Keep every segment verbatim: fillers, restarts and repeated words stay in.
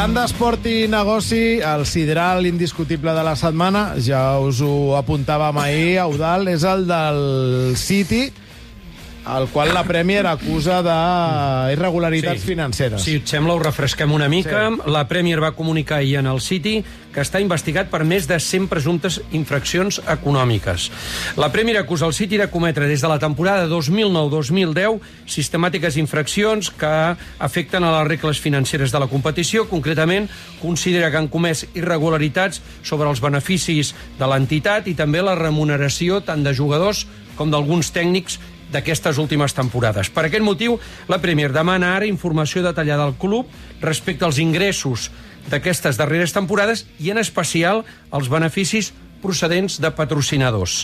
Parlant d'esport i negoci, el sideral indiscutible de la setmana, ja us ho apuntàvem ahir, Eudald, és el del City, al qual la Premier acusa d'irregularitats sí. financeres. Si et sembla, ho refresquem una mica. Sí. La Premier va comunicar ahir en el City que està investigat per més de cent presumptes infraccions econòmiques. La Premier acusa el City de cometre des de la temporada dos mil nou dos mil deu sistemàtiques infraccions que afecten a les regles financeres de la competició. Concretament, considera que han comès irregularitats sobre els beneficis de l'entitat i també la remuneració tant de jugadors com d'alguns tècnics d'aquestes últimes temporades. Per aquest motiu, la Premier demana ara informació detallada al club respecte als ingressos d'aquestes darreres temporades i, en especial, els beneficis procedents de patrocinadors.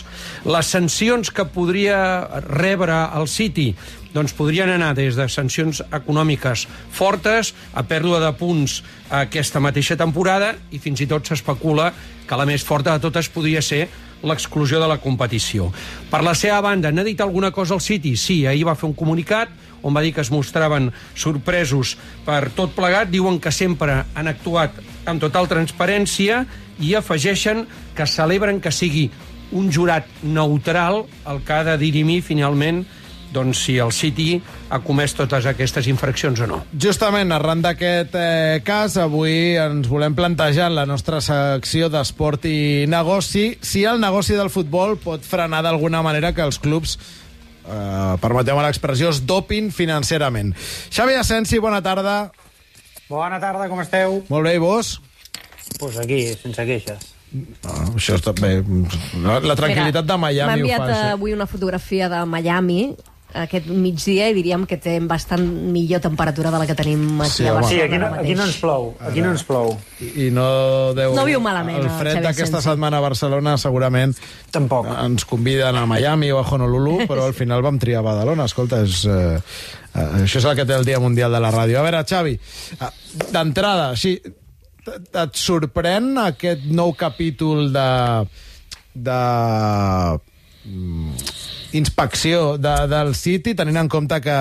Les sancions que podria rebre el City doncs podrien anar des de sancions econòmiques fortes a pèrdua de punts aquesta mateixa temporada i fins i tot s'especula que la més forta de totes podria ser l'exclusió de la competició. Per la seva banda, n'ha dit alguna cosa al City? Sí, ahir va fer un comunicat on va dir que es mostraven sorpresos per tot plegat. Diuen que sempre han actuat amb total transparència i afegeixen que celebren que sigui un jurat neutral el que ha de dirimir finalment doncs, si el City ha comès totes aquestes infraccions o no. Justament, arran d'aquest eh, cas, avui ens volem plantejar en la nostra secció d'esport i negoci si el negoci del futbol pot frenar d'alguna manera que els clubs, eh, permeteu-me l'expressió, es dopin financerament. Xavi Asensi, bona tarda. Bona tarda, com esteu? Molt bé, i vos? Doncs pues aquí, sense queixes. Ah, això està bé. La, la tranquil·litat de Miami ho fa. M'ha enviat avui una fotografia de Miami aquest migdia i diríem que té bastant millor temperatura de la que tenim aquí sí, a Barcelona. Sí, aquí no, aquí no ens plou. Aquí no ens plou. I, i no deu... No viu malament. El fred d'aquesta setmana a Barcelona segurament tampoc ens conviden a Miami o a Honolulu, però al final vam triar Badalona. Escolta, és, eh, això és el que té el Dia Mundial de la Ràdio. A veure, Xavi, d'entrada, així, et sorprèn aquest nou capítol de... de inspecció de, del City, tenint en compte que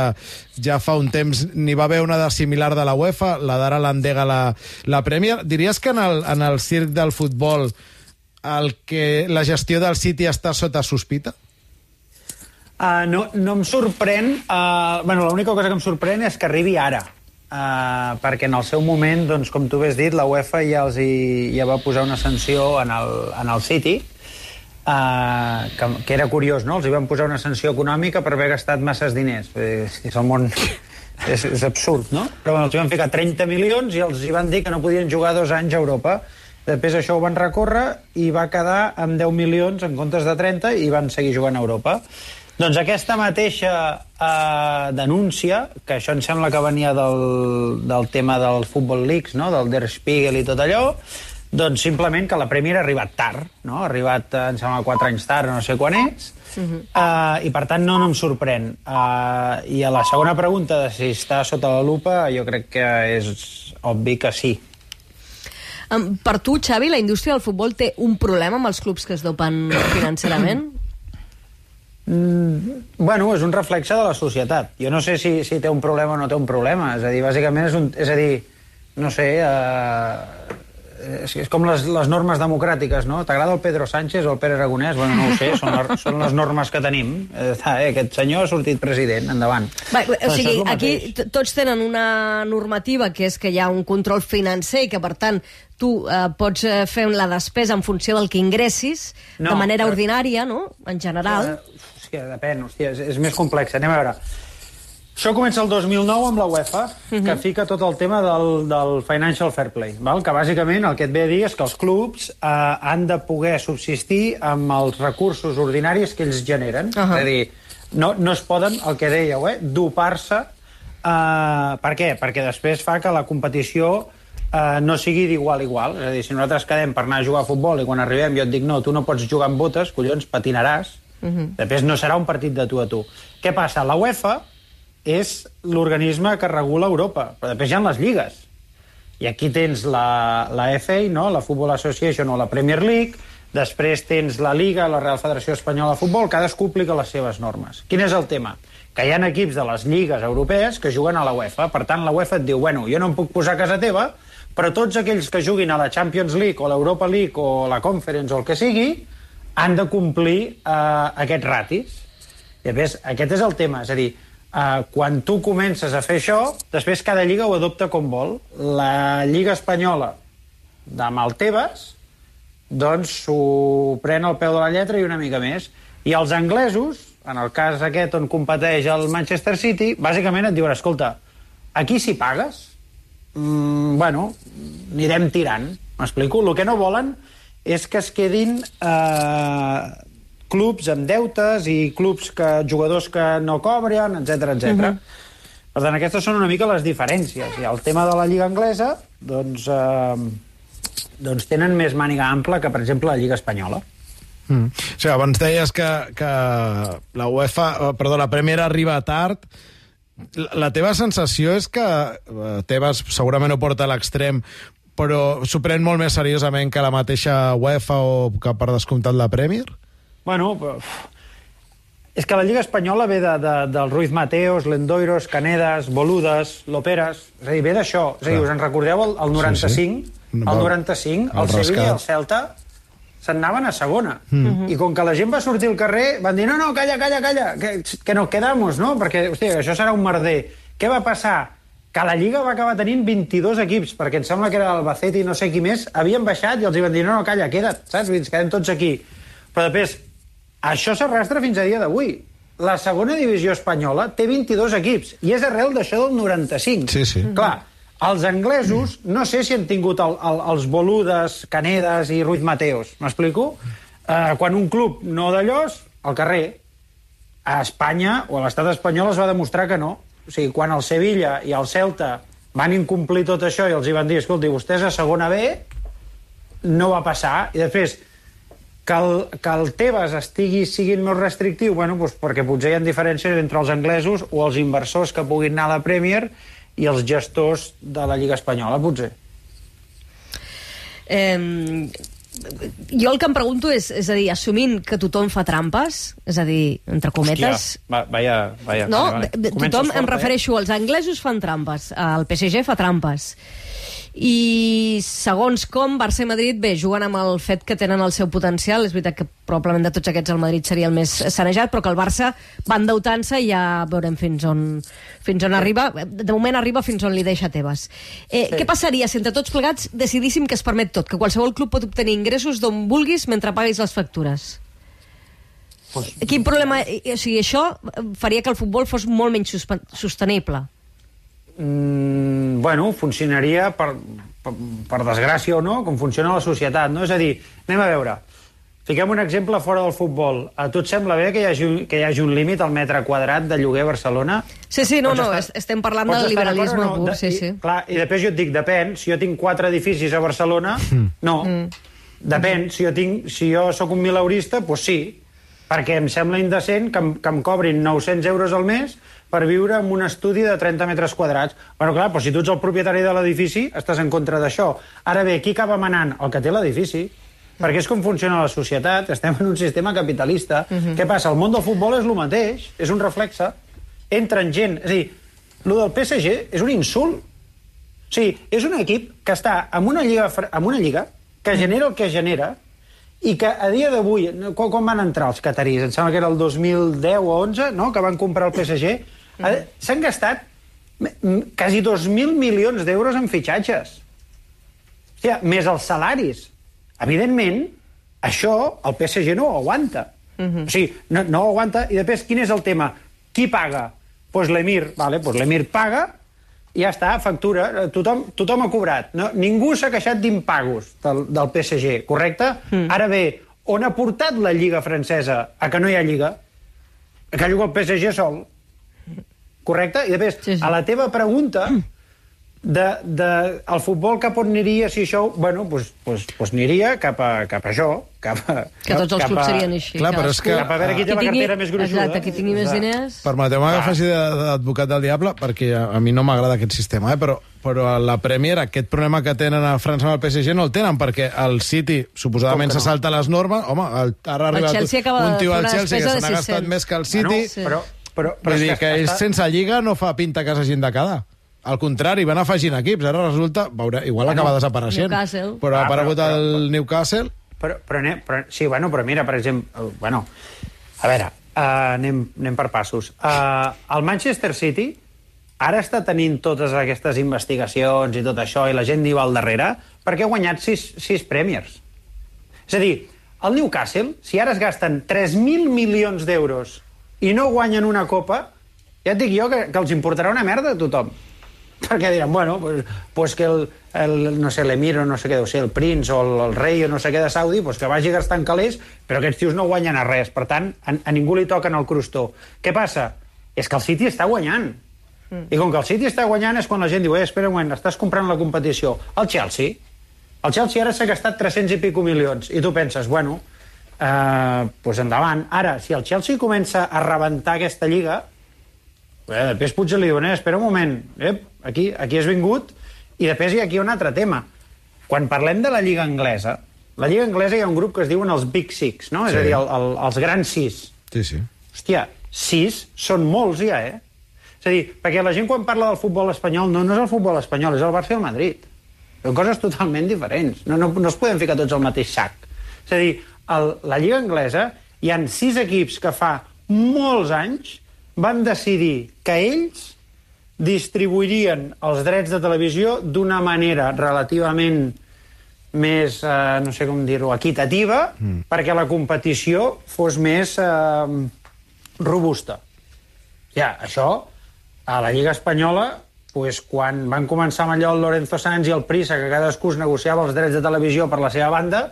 ja fa un temps n'hi va haver una de similar de la UEFA, la d'ara l'endega la, la Premier. Diries que en el, en el circ del futbol el que la gestió del City està sota sospita? Uh, no, no em sorprèn. Uh, bueno, l'única cosa que em sorprèn és que arribi ara. Uh, perquè en el seu moment, doncs, com tu has dit, la UEFA ja, els hi, ja va posar una sanció en el, en el City, Uh, que, que era curiós, no? Els hi van posar una sanció econòmica per haver gastat masses diners. És, és el món... És, és absurd, no? Però bueno, els hi van ficar trenta milions i els hi van dir que no podien jugar dos anys a Europa. Després això ho van recórrer i va quedar amb deu milions en comptes de trenta i van seguir jugant a Europa. Doncs aquesta mateixa uh, denúncia, que això em sembla que venia del, del tema del Football Leaks, no? Del Der Spiegel i tot allò, doncs simplement que la Premier ha arribat tard, no? Ha arribat, em sembla, quatre anys tard, no sé quan és, uh-huh. uh, i per tant no, no em sorprèn. Uh, I a la segona pregunta de si està sota la lupa, jo crec que és obvi que sí. Um, per tu, Xavi, la indústria del futbol té un problema amb els clubs que es dopen financerament? Mm, bueno, és un reflexe de la societat. Jo no sé si, si té un problema o no té un problema. És a dir, bàsicament és un... És a dir, no sé... Uh, És, és com les, les normes democràtiques, no? T'agrada el Pedro Sánchez o el Pere Aragonès? Bueno, no ho sé, són, la, són les normes que tenim. Eh, aquest senyor ha sortit president, endavant. Va, o sigui, aquí tots tenen una normativa que és que hi ha un control financer i que, per tant, tu eh, pots fer la despesa en funció del que ingressis, no, de manera però... ordinària, no?, en general. Uh, hòstia, depèn, hòstia, és, és més complex. Anem a veure. Això comença el dos mil nou amb la UEFA, uh-huh. que fica tot el tema del, del financial fair play, val? Que bàsicament el que et ve a dir és que els clubs eh, han de poder subsistir amb els recursos ordinaris que ells generen. Uh-huh. És a dir, no, no es poden, el que dèieu, eh, dopar-se. Eh, per què? Perquè després fa que la competició eh, no sigui d'igual a igual. És a dir, si nosaltres quedem per anar a jugar a futbol i quan arribem jo et dic no, tu no pots jugar amb botes, collons, patinaràs. Uh-huh. Després no serà un partit de tu a tu. Què passa? La UEFA és l'organisme que regula Europa, però després hi ha les lligues. I aquí tens la, la F A, no? La Football Association o la Premier League, després tens la Liga, la Real Federació Espanyola de Futbol, cadascú aplica les seves normes. Quin és el tema? Que hi ha equips de les lligues europees que juguen a la UEFA. Per tant, la UEFA et diu, bueno, jo no em puc posar a casa teva, però tots aquells que juguin a la Champions League o l'Europa League o la Conference o el que sigui han de complir eh, aquests ratis. I a més, aquest és el tema, és a dir, eh, quan tu comences a fer això, després cada lliga ho adopta com vol. La Lliga Espanyola amb el Tebas doncs s'ho pren al peu de la lletra i una mica més. I els anglesos, en el cas aquest on competeix el Manchester City, bàsicament et diuen, escolta, aquí si pagues, mm, bueno, anirem tirant. M'explico? El que no volen és que es quedin eh, clubs amb deutes i clubs que jugadors que no cobren, etcètera, etcètera. Uh-huh. Per tant, aquestes són una mica les diferències. I el tema de la Lliga Anglesa, doncs, eh, doncs tenen més màniga ampla que, per exemple, la Lliga Espanyola. Mm. O sigui, abans deies que, que la UEFA, perdó, la Premier arriba tard. La, la teva sensació és que Tebas segurament ho porta a l'extrem, però s'ho pren molt més seriosament que la mateixa UEFA o que per descomptat la Premier? Bueno, és que la Lliga Espanyola ve de, de, del Ruiz Mateos, Lendoiros, Canedas, Boludas, Loperas, és a dir, ve d'això. És a dir, us en recordeu el, el noranta-cinc? Sí, sí. El noranta-cinc, el, el Sevilla i el Celta se'n anaven a segona. Mm. I com que la gent va sortir al carrer, van dir, no, no, calla, calla, calla, que, que no quedamos, no? Perquè, hòstia, això serà un merder. Què va passar? Que la Lliga va acabar tenint vint-i-dos equips, perquè em sembla que era l'Albacete i no sé qui més, havien baixat i els hi van dir, no, no, calla, queda't, saps? Ens quedem tots aquí. Però després, això s'arrastra fins a dia d'avui. La segona divisió espanyola té vint-i-dos equips, i és arrel d'això del noranta-cinc. Sí, sí. Clar, els anglesos, no sé si han tingut el, el, els Boludes, Canedas i Ruiz Mateos, m'explico? Eh, quan un club no d'allòs, al carrer, a Espanya o a l'estat espanyol es va demostrar que no. O sigui, quan el Sevilla i el Celta van incomplir tot això i els hi van dir, escolti, vostès a segona B, no va passar. I després, que el, que el Tebas estigui siguin més restrictiu, bueno, doncs perquè potser hi ha diferències entre els anglesos o els inversors que puguin anar a la Premier i els gestors de la Lliga Espanyola, potser. Eh, jo el que em pregunto és, és a dir, assumint que tothom fa trampes, és a dir, entre cometes... Hòstia, va, vaya, vaya, no, vale, vale. Tothom, fort, em refereixo, eh? Els anglesos fan trampes, el P S G fa trampes, i segons com Barça i Madrid, bé, juguen amb el fet que tenen el seu potencial. És veritat que probablement de tots aquests el Madrid seria el més sanejat, però que el Barça va endeutant-se i ja veurem fins on, fins on arriba. De moment arriba fins on li deixa Tebas. Eh, sí. Què passaria si entre tots plegats decidíssim que es permet tot, que qualsevol club pot obtenir ingressos d'on vulguis mentre paguis les factures? Pues... Quin problema... O sigui, això faria que el futbol fos molt menys sostenible. Mm, bueno, funcionaria per, per, per desgràcia o no, com funciona la societat, no? És a dir, anem a veure, fiquem un exemple fora del futbol. A tu et sembla bé que hi hagi, que hi hagi un límit al metre quadrat de lloguer a Barcelona? Sí, sí, no, no, estar, estem parlant del liberalisme no? pur, sí, I, sí. Clar, i després jo et dic, depèn, si jo tinc quatre edificis a Barcelona, no. Mm. Depèn, si jo, tinc, si jo sóc un mileurista, doncs sí, perquè em sembla indecent que em, que em cobrin nou-cents euros al mes per viure en un estudi de trenta metres quadrats. Bueno, clar, però si tu ets el propietari de l'edifici, estàs en contra d'això. Ara bé, qui acaba manant? El que té l'edifici. Perquè és com funciona la societat, estem en un sistema capitalista. Uh-huh. Què passa? El món del futbol és el mateix, és un reflexe. Entren gent... És a dir, el del P S G és un insult. O sigui, és un equip que està en una lliga, en una lliga que genera el que genera i que a dia d'avui... Quan, quan van entrar els catarís? Em sembla que era el dos mil deu o onze, no?, que van comprar el P S G. Mm. S'han gastat quasi dos mil milions d'euros en fitxatges. Hòstia, més els salaris. Evidentment, això el P S G no ho aguanta. Mm-hmm. O sigui, no, no ho aguanta. I després, quin és el tema? Qui paga? Doncs pues l'Emir. Vale, pues l'Emir paga i ja està, factura. Tothom, tothom ha cobrat. No? Ningú s'ha queixat d'impagos del, del P S G, correcte? Mm. Ara bé, on ha portat la Lliga francesa a que no hi ha Lliga? A que juga el P S G sol. Correcte? I després, sí, sí. A la teva pregunta de, de el futbol cap on aniria si això... Bueno, doncs pues, pues, pues aniria cap a, cap a això. Cap a, que tots els clubs a, serien així. Clar, però és que, cap a veure qui té la cartera més gruixuda. Exacte, qui tingui més diners... Permeteu-me que faci d'advocat del diable, perquè a, a mi no m'agrada aquest sistema, eh? però, però a la Premier aquest problema que tenen a França amb el P S G no el tenen, perquè el City suposadament no? se salta les normes. Home, el, ara ha arribat un tio al Chelsea que se n'ha gastat més que el City... Bueno, sí. però, Però, però Vull dir que, que ells està... sense lliga no fa pinta que s'hagin de quedar. Al contrari, van afegint equips. Ara resulta... Veure, igual bueno, acaba desapareixent. Newcastle. Però ha ah, aparegut però, però, el Newcastle... Però, però, però, però, sí, bueno, però mira, per exemple... Bueno, a veure, uh, anem, anem per passos. Uh, el Manchester City ara està tenint totes aquestes investigacions i tot això, i la gent hi va al darrere, perquè ha guanyat sis, sis Premiers. És a dir, el Newcastle, si ara es gasten tres mil milions d'euros i no guanyen una copa, ja et dic jo que, que els importarà una merda a tothom. Perquè diran, bueno, pues, pues que el, el, no sé, l'emir o no sé què deu ser, el prince o el, el rei o no sé què de Saudi, pues que vagi gastant calés, però aquests tios no guanyen a res. Per tant, a, a ningú li toquen el crostó. Què passa? És que el City està guanyant. Mm. I com que el City està guanyant és quan la gent diu, eh, espera un moment, estàs comprant la competició. El Chelsea, el Chelsea ara s'ha gastat tres-cents i pico milions, i tu penses, bueno, eh, pues endavant. Ara, si el Chelsea comença a rebentar aquesta lliga, eh, després potser li diuen, eh, espera un moment, eh, aquí, aquí has vingut, i després hi ha aquí un altre tema. Quan parlem de la lliga anglesa, la lliga anglesa hi ha un grup que es diuen els Big Six, no? Sí. És a dir, el, el, els grans sis. Sí, sí. Hòstia, sis són molts ja, eh? És a dir, perquè la gent quan parla del futbol espanyol, no, no és el futbol espanyol, és el Barça i el Madrid. Són coses totalment diferents. No, no, no es poden ficar tots al mateix sac. És a dir, el, la lliga anglesa hi han sis equips que fa molts anys van decidir que ells distribuirien els drets de televisió d'una manera relativament més, eh, no sé com dir-ho, equitativa, mm. perquè la competició fos més eh, robusta. Ja, això, a la Lliga Espanyola, pues, quan van començar amb allò el Lorenzo Sanz i el Prisa, que cadascú es negociava els drets de televisió per la seva banda,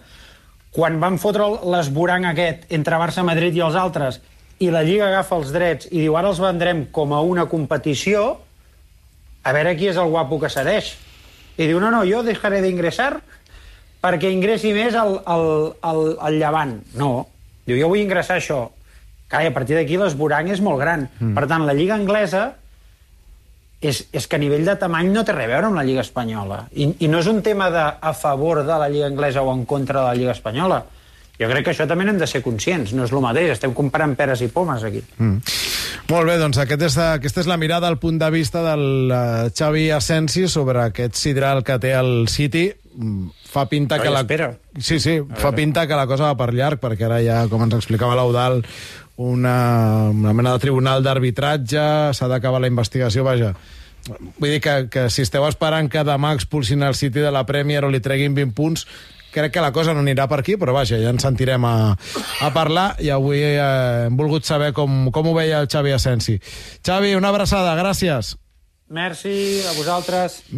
quan van fotre l'esborang aquest entre Barça, Madrid i els altres, i la Lliga agafa els drets i diu, ara els vendrem com a una competició, a veure qui és el guapo que cedeix. I diu, no, no, jo deixaré d'ingressar perquè ingressi més el, el, el, el Llevant. No, diu, jo vull ingressar això. Clar, a partir d'aquí l'esborang és molt gran. Mm. Per tant, la Lliga anglesa és, és que a nivell de tamany no té res a veure amb la Lliga espanyola. I, i no és un tema de a favor de la Lliga anglesa o en contra de la Lliga espanyola. Jo crec que això també n'hem de ser conscients, no és el mateix, estem comparant peres i pomes aquí. Mm. Molt bé, doncs aquest és, aquesta és la mirada, el punt de vista del uh, Xavi Asensi sobre aquest sidral que té el City. Fa pinta no, que la... Espera. Sí, sí, fa pinta que la cosa va per llarg, perquè ara ja, com ens explicava l'Eudal, una, una mena de tribunal d'arbitratge, s'ha d'acabar la investigació, vaja. Vull dir que, que si esteu esperant que demà expulsin el City de la Premier o li treguin vint punts, crec que la cosa no anirà per aquí, però vaja, ja ens sentirem a, a parlar i avui eh, hem volgut saber com, com ho veia el Xavi Asensi. Xavi, una abraçada, gràcies. Merci, a vosaltres.